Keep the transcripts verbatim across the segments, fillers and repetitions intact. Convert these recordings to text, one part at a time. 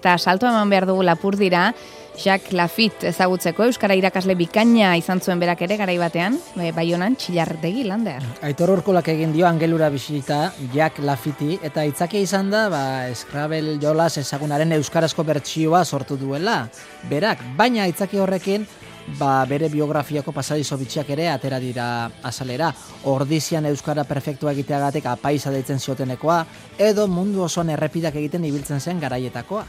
Eta salto eman behar dugu Lapurdira, Jacques Lafitte ezagutzeko, euskara irakasle bikaina izan zuen berak ere garai batean, Baionan Txillardegi Lander. Aitor Urkolak egin dio Angelura bisita Jacques Laffittei, eta itzakia izan da, ba, Scrabble jolas ezagunaren euskarazko bertsioa sortu duela, berak, baina itzaki horrekin, ba, bere biografiako pasadizo bitxiak ere atera dira azalera. Ordizian euskara perfektua egiteagatik apaisa deitzen ziotenekoa, edo mundu osoan errepidak egiten ibiltzen zen garaietakoa.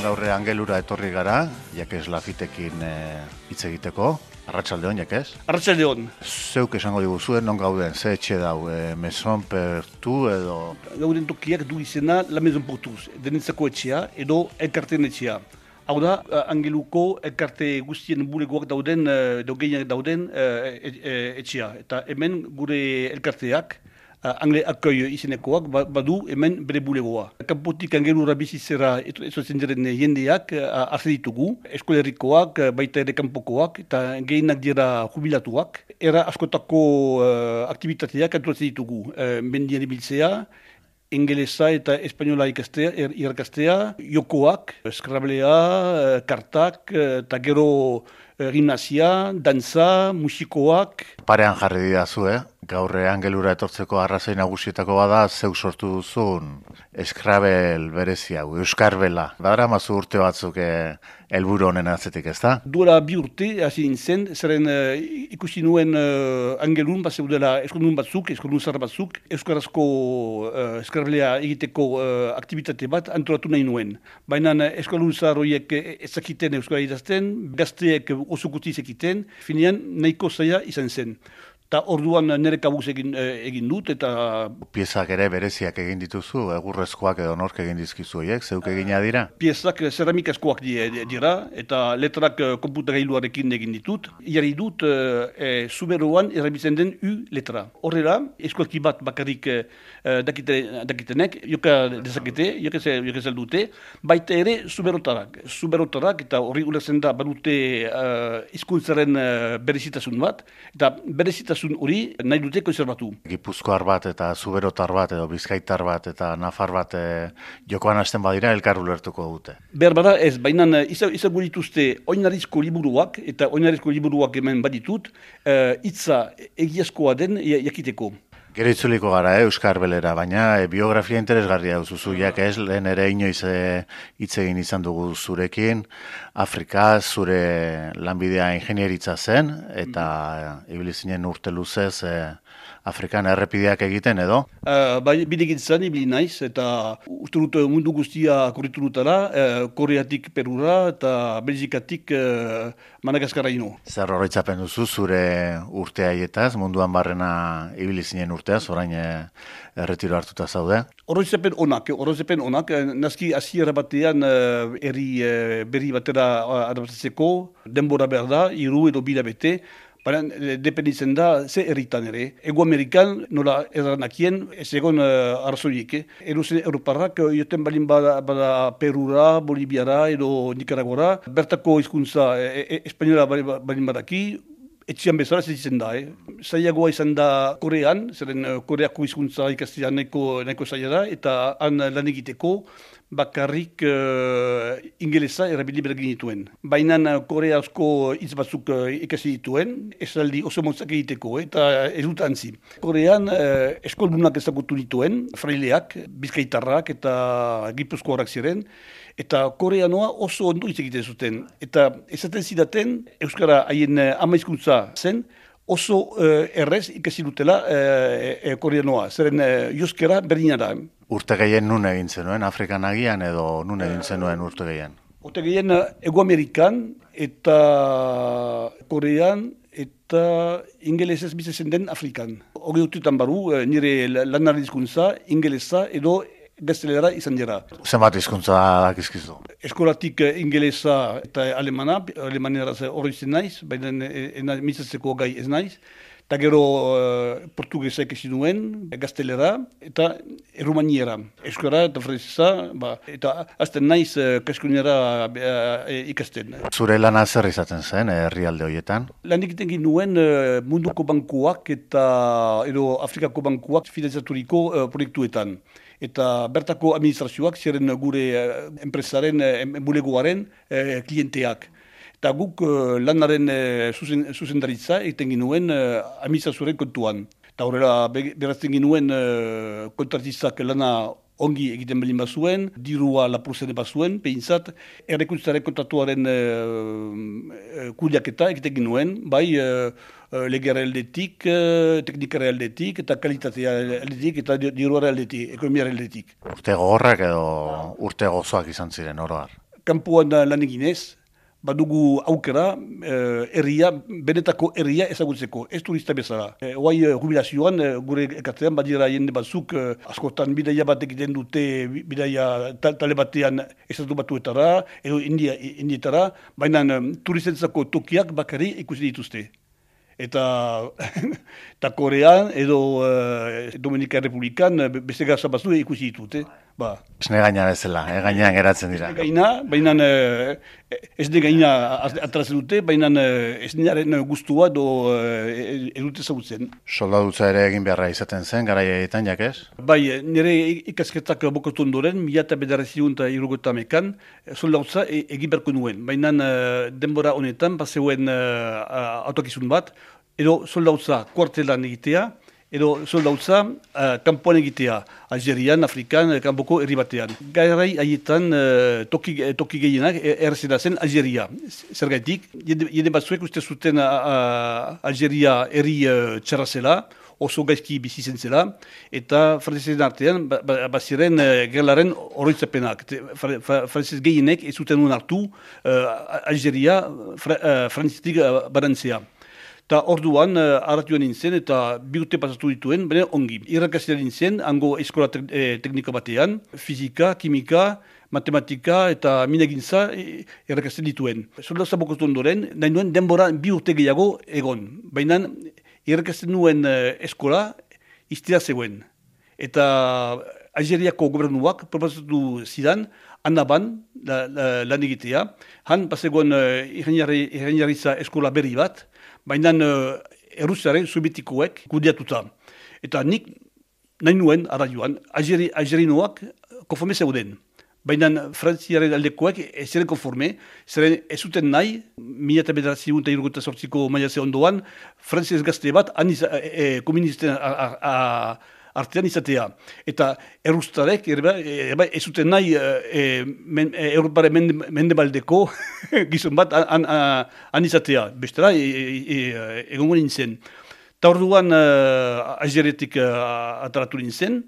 Gaurre Angelura etorri gara, Jacques Laffittekin hitz e, egiteko. Arratsaldeon, Jacques. Arratsaldeon. Zeuk esango diguzuen, non gauden, ze etxe dau, e, Maison Pertu edo... Gauden tokiak du izena La Maison Pertuz, denitzako etxea edo elkarteen etxea. Hau da, Angeluko elkarte guztien bulegoak dauden, edo gehienak dauden etxea. Eta hemen gure elkarteak, Angle Accueil izenekoak badu hemen bere bulegoa. Kanpotik Angelura bizitzera ezotzen diren jendeak hartzen ditugu, eskolerikoak, baita ere kanpokoak, eta gehienak dira jubilatuak. Era askotako uh, aktivitateak antolatzen ditugu. Uh, Mendian ibiltzea, ingelesa eta espainola ikastea, er, irakastea, jokoak, Scrabblea, kartak, eta gero uh, gimnasia, dantza, musikoak. Parean jarri didazu, eh? Gaur Angelura etortzeko arrazoi nagusietako bada, zeuk sortu duzun Scrabble berezi hau, Euskarbela. Dara mazu urte batzuk helburu honen atzetik, ez da? Duela bi urte, hasi nintzen, zeren uh, ikusi nuen uh, Angelun, bat zeudela eskondun batzuk, eskondun zar batzuk, euskarazko uh, Scrabblea egiteko uh, aktivitate bat antolatu nahi nuen. Baina uh, eskondun zar horiek ezakiten euskara idazten, gazteek oso kuti zekiten, finean nahiko zaila izan zen. Eta orduan nire kabuz egin, egin dut, eta... Piezak ere bereziak egin dituzu, egurrezkoak edo nork egin dizkizu horiek, zeuk egina dira? Piezak ceramikazkoak dira, eta letrak konputagailuarekin egin ditut. Iari dut, e, zuberoan erabiltzen den U letra. Horrela, eskolki bat bakarrik e, dakite, dakitenek, joka dezakete, joka zel dute, baita ere zuberotarak. Zuberotarak, eta horri ulertzen da, badute uh, izkuntzaren uh, berezitasun bat, eta berezitasun hori nahi dute konserbatu. Gipuzkoar bat eta zuberotar bat edo bizkaitar bat eta nafar bat e, jokoan hasten badira elkar ulertuko dute. Behar bada ez, baina izango dituzte oinarizko liburuak eta oinarizko liburuak hemen baditut, hitza e, egiazkoa den jakiteko. Gero itzuliko gara, eh, Euskarbelera, baina e, biografia interesgarria duzuzu, Jacques, lehen ere inoiz hitz egin izan dugu zurekin, Afrika, zure lanbidea ingenieritza zen, eta mm. ibili zinen urte luzez e, Afrikan errepideak egiten edo? Uh, bai, bidegintzan ibili naiz, eta uste dut mundu guztia korritu dutara, uh, Koreatik Perura eta Belgikatik uh, Madagaskara ino. Zer horretzapen duzu zure urte haietaz, munduan barrena ibili zinen urteaz, orain erretiro hartuta zaude? Horretzapen onak, horretzapen onak, nazki hasiera batean uh, erri uh, berri batera adaptatzeko, denbora behar da, hiru edo bila bete, baina dependitzen da ze herritan ere. Ego Amerikan nola erranakien ez egon uh, arrazoiek. Eh? Eruzen Europarrak joten balin bada, bada Perura, Boliviara edo Nicaragora. Bertako hizkuntza e, e, espainola balin badaki, etxian bezala zitzen da. Eh? Zailagoa izan da Korean, zeren uh, Koreako hizkuntza ikastea nahiko, nahiko zaila da, eta han lan egiteko bakarrik uh, ingelesa erabili bergin dituen. Baina koreazko hitz batzuk uh, ikasi dituen, esaldi oso motzak egiteko, eh, eta ez dut antzi. Korean uh, eskoldunak ezagutu dituen, fraileak, bizkaitarrak eta gipuzkoarak ziren, eta koreanoa oso ondo hitz egiten zuten. Eta esaten zidaten, euskara haien uh, ama hizkuntza zen, oso uh, errez ikasi dutela uh, uh, koreanoa, zeren uh, joskera berdina da. Urte gehien nun egin zenuen, Afrikan agian edo nun egin zenuen urte gehien? Urte gehien Ego Amerikan eta Korean eta ingelesez bizitzen den Afrikan. Hori urtetan baru, nire lanaren hizkuntza, ingelesa edo gaztelera izan dira. Zenbat hizkuntza dakizkizu? Eskolatik ingelesa eta alemana, alemanera hori zen naiz, baina mitzatzeko gai ez naiz. Eta gero uh, portugesa ikasi nuen, gaztelera, eta erromaniera. Euskara eta frantzesa, ba, eta azten naiz uh, kaskunera uh, ikasten. Zure lana zer izaten zen herrialde horietan? Lan egiten ginuen uh, munduko bankuak eta edo Afrikako bankuak finantzaturiko uh, proiektuetan. Eta bertako administrazioak ziren gure uh, enpresaren, uh, bulegoaren uh, klienteak. Eta guk uh, lanaren uh, zuzen, zuzendaritza egiten ginuen uh, administrazioaren kontuan. Eta horrela berazten ginuen uh, kontratistak lana ongi egiten belin bazuen, dirua lapurzen bazuen, behintzat, errekuntzaren kontratuaren uh, kuliaketa egiten ginuen, bai uh, legera aldetik, uh, teknikara aldetik, eta kalitatea aldetik, eta diruara aldetik, ekonomiara aldetik. Urte gogorrak edo urte gozoak izan ziren oroar? Kampuan lan eginez, badugu aukera, herria, benetako herria ezagutzeko, ez turista bezala. E, Oai, jubilazioan, gure ekartean, badira jende batzuk, askotan bidaia bat egiten dute, bidaia tale batean estatu batuetara, edo India, indietara, baina turistentzako tokiak bakari ikusi dituzte. Eta, eta Korean edo uh, Dominika Republikan beste gaza batzu ikusi ditut. Eh? Ba. Esne gaina bezala, eh? Gainean geratzen dira. Esne gaina, baina uh, esne gaina atrazen dute, baina uh, esnearen guztua do uh, edute zautzen. Soldadutza ere egin beharra izaten zen, garaietan jakez? Bai, nire ikasketak bokotu ondoren, mila eta bederatziehun eta hirurogeita hamekan, soldadutza egin beharko nuen. Baina uh, denbora honetan, bazeuen uh, autokizun bat, edo soldautza kuartelan egitea, edo soldautza uh, kanpoan egitea, Algerian, Afrikan, kanpoko herri batean. Gairai haietan uh, toki, toki gehienak errezena zen Algeria. Zergaitik, jende batzuek uste zuten uh, Algeria herri uh, txarra zela, oso gaizki bizi zen zela, eta frantzezen artean baziren uh, gerlaren oroitzapenak. Frantzez gehienek ez zuten un hartu uh, Algeria fra, uh, frantzetik uh, barantzea. Eta orduan, uh, arratioan nintzen eta bi urte pasatu dituen, baina ongi. Irrakazia nintzen, hango eskola te eh, teknika batean, fizika, kimika, matematika eta minegintza eh, irrakazten dituen. Soldazza bokotu ondoren, nahi nuen denbora bi urte gehiago egon. Baina irrakazten nuen uh, eskola iztira zegoen. Eta Algeriako gobernuak proposatu zidan, Annaban, la, la, lan egitea. Han, bazegoen uh, ireniaritza eskola berri bat, baina uh, errusiaren sovietikoek kudiatuta. Eta nik nahi nuen, ara joan, Algeri, algerinoak konforme zeuden. Baina frantziaren aldekoek ez ziren konforme, ziren ez zuten nahi, mila eta bederatziehun eta hirurogeita zortziko maiatze ondoan, frantziaz gazte bat, aniza, e, komunisten artean izatea. Eta errustarek ez zuten nahi e, men, e, Europaren mende, mendebaldeko gizon bat an, an, an izatea. Bestela, e, e, e, egongo nintzen. Eta orduan uh, Algeretik uh, ataratu nintzen,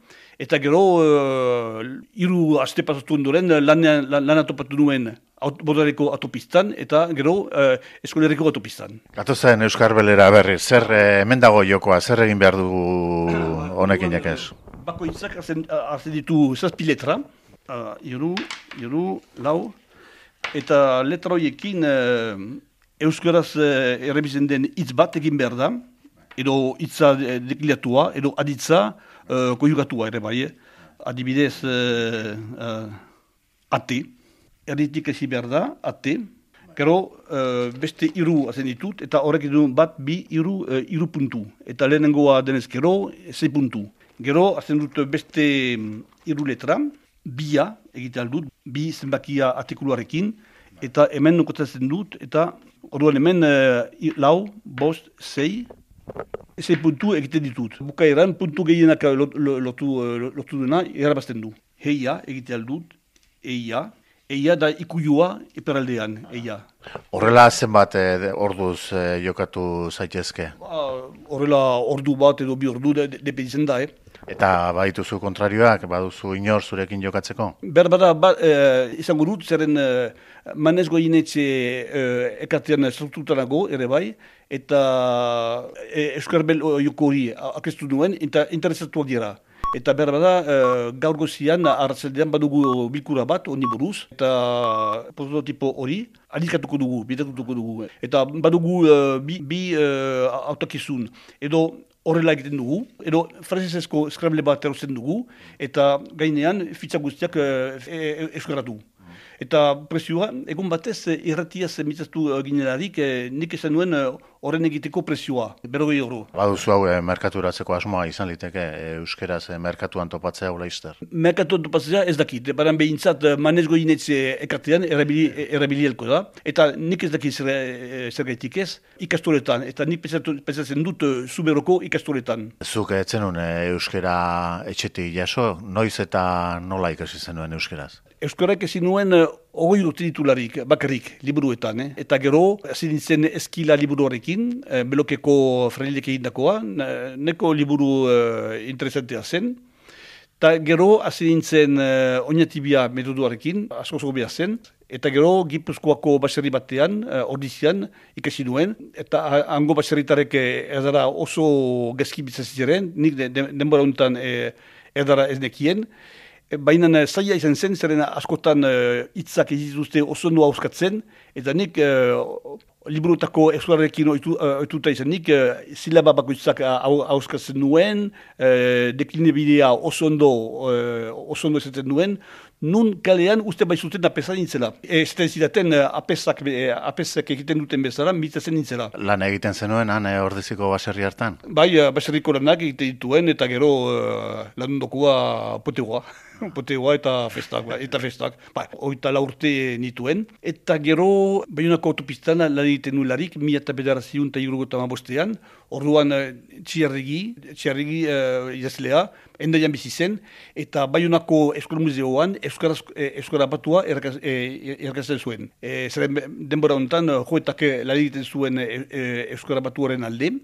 eta gero uh, hiru aste pasatu ondoren lana lan topatu nuen Bodareko autopistan eta gero uh, eskoleriko autopistan. Gatozen Euskar Belera berri, zer eh, hemen dago jokoa, zer egin behar dugu honekin jakez? Bakoitzak hartzen ditu zazpi letra, uh, iru, iru, lau, eta letra horiekin uh, euskaraz uh, errebizen den hitz bat egin behar da, edo hitza dekliatua, edo aditza uh, konjugatua ere bai. Adibidez, uh, uh, ate, erditik ezi behar da, ate. Gero, uh, beste iru hazen ditut, eta horrek edu bat, bi, iru, uh, iru puntu. Eta lehenengoa denez gero, zei puntu. Gero, hazen dut beste iru letra, bia egite aldut, bi zenbakia artikuluarekin, eta hemen nukotazen dut, eta orduan hemen uh, lau, bost, zei, Eze puntu egiten ditut. Bukaeran puntu gehienak lotu dena erabazten du. Heia egite aldut, eia. Eia da ikuyua eperaldean, eia. Horrela zenbat eh, orduz eh, jokatu zaitezke? Ba, horrela ordu bat edo bi ordu depeditzen da, eh? Eta badituzu kontrarioak, baduzu inor zurekin jokatzeko? Berbada, ba, eh, izango dut, zeren eh, manez goinetxe eh, ekatean strukturanago ere bai, eta eh, Euskar Bel joko hori akestu nuen, eta interesatuak dira. Eta berbada, eh, gaur gozian, arratsaldean badugu bilkura bat, honi buruz, eta prototipo hori, adikatuko dugu, bidatuko dugu. Eta badugu uh, bi, bi uh, autakizun, edo horrela egiten dugu, edo frantsesezko Scrabble bat erosten dugu, eta gainean fitxa guztiak e, euskaratu. Eta presioa, egun batez, irratiaz mitzaztu ginelarik, nik esan nuen horren egiteko presioa, berrogei euro. Baduzu hau, eh, merkaturatzeko asmoa izan liteke, eh, euskeraz eh, merkatuan topatzea hula izter. Merkatuan topatzea ez dakit, baran behintzat manezgo inetze ekartean erabili, erabilielko da. Eta nik ez dakit zer, zer gaitik ez, ikastoletan, eta nik pentsatzen dut zuberoko ikastoletan. Zuk etzenun eh, euskera etxetik jaso, noiz eta nola ikasi zenuen euskeraz? Euskarak ezin nuen hogei urte ditularik, bakarrik, liburuetan. Eh? Eta gero, hasi nintzen eskila liburuarekin, eh, belokeko franilek egindakoa, neko liburu eh, interesantea zen. Eta gero, hasi nintzen eh, oinatibia metoduarekin, asko zogobia zen. Eta gero, Gipuzkoako baserri batean, eh, ordizian, ikasi nuen. Eta hango baserritarek eh, erdara oso gezki bitzazitzen, nik de, de, denbora honetan eh, erdara ez nekien. Baina zaila izan zen, zeren askotan hitzak uh, egituzte oso ondo hauskatzen, eta nik uh, liburutako euskararekin oituta izan nik, uh, silaba bakoitzak hauskatzen nuen, uh, deklinebidea oso ondo, uh, oso ondo esaten nuen, nun kalean uste baizuten apesa nintzela. Ez zidaten apesak, apesak egiten duten bezala, mitzazen nintzela. Lan egiten zenuen, han ordeziko baserri hartan? Bai, baserriko lanak egiten dituen, eta gero uh, lan ondokoa potegoa. Potegoa eta festak, eta festak. Ba, oita la urte nituen. Eta gero, Baionako autopistan lan egiten nularik, mila eta bederaziun eta irugota mabostean, orduan txiarrigi, txiarrigi uh, idazlea, endaian bizi zen, eta Baionako Eskola Museoan Euskara, Euskara batua erakasten zuen. E, zeren denbora honetan, joetak lan egiten zuen e, e, Euskara batuaren alde,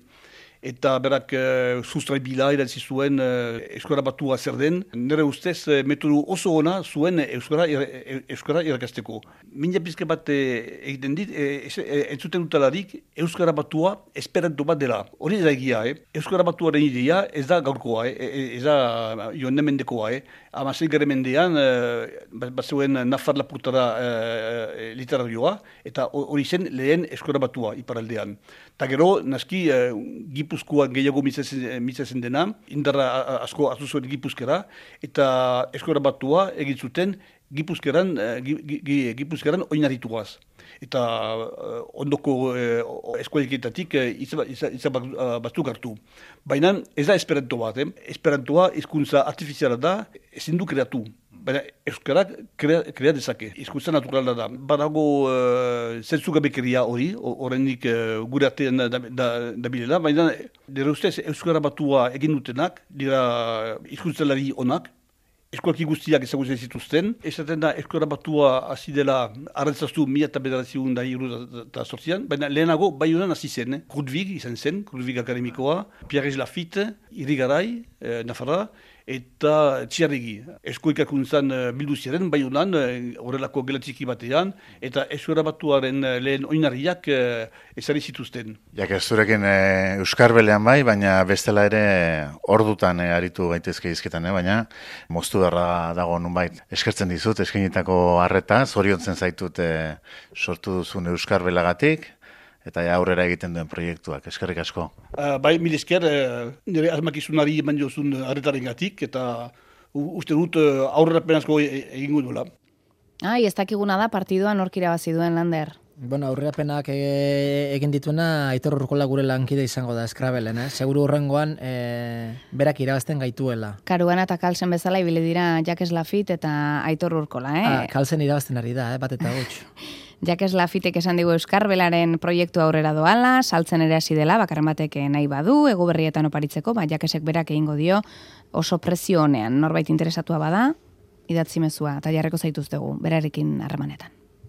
eta berak uh, sustrai bila idatzi zuen uh, Euskara batua zer den. Nire ustez, uh, metodu oso ona zuen Euskara, er, Euskara irakasteko. Mina pizke bat egiten dit, e, e, entzuten dutalarik Euskara batua esperanto bat dela. Hori da egia, eh? Euskara batuaren idea ez da gaurkoa, eh? Ez da joan mendekoa. Eh? Amasei gare mendean, uh, bat zuen Nafar Lapurtara uh, literarioa, eta hori zen lehen Euskara batua iparaldean. Ta gero, naski, uh, Gipuzkoan gehiago mitzazen dena, indarra asko hartu zuen Gipuzkera, eta Euskara batua egin zuten Gipuzkeran, Gipuzkeran oinarrituaz. Eta uh, ondoko uh, eskualiketatik uh, izan batzuk hartu. Baina ez da esperanto bat, eh? Esperantoa hizkuntza artifiziala da, ezin du kreatu. Baina euskarak krea, krea dezake, hizkuntza naturala da. Badago uh, zentzugabekeria hori, horrenik uh, gure artean da, da, da bilela, baina nire ustez euskara batua egin dutenak, dira hizkuntzalari onak, eskualki guztiak ezagutzen zituzten. Esaten da euskara batua hasi dela arrantzaztu mila eta bederatziehun da hiru eta sortzian, baina lehenago Baionan hasi zen, eh? Krudwig izan zen, Krudwig akademikoa, Pierre Lafitte, Irigaray, eh, Nafarra, eta txiarrigi. Eskuikakuntzan bildu ziren, Baionan, horrelako gelatxiki batean, eta euskara batuaren lehen oinarriak ezari zituzten. Jak ez zurekin e, Euskarbelean bai, baina bestela ere ordutan e, aritu gaitezke izketan, eh? Baina moztu darra dago nunbait. Eskertzen dizut, eskenitako harreta, zoriontzen zaitut e, sortu duzun Euskarbelagatik, eta ja aurrera egiten duen proiektuak. Eskerrik asko. Uh, bai, mil esker, uh, nire asmakizunari eman jozun harretaren gatik, eta uh, uste dut uh, aurrera penazko egingo duela. Ai, ez dakiguna da partidua nork irabazi duen, Lander. Bueno, aurrerapenak e, egin dituena Aitor Urkola gure lankide izango da Scrabbleen, eh? Seguru horrengoan e, berak irabazten gaituela. Karuana eta Kalsen bezala ibili dira Jacques Lafitte eta Aitor Urkola, eh? Ah, Kalsen irabazten ari da, eh? Bat eta gutxo. Jacques Lafittek esan digu Euskarbelaren proiektu aurrera doala, saltzen ere hasi dela, bakarren batek nahi badu, ego berrietan oparitzeko, ba, Jacquesek berak egingo dio oso prezio honean. Norbait interesatua bada, idatzi mezua, eta jarreko zaituztegu, berarekin harremanetan.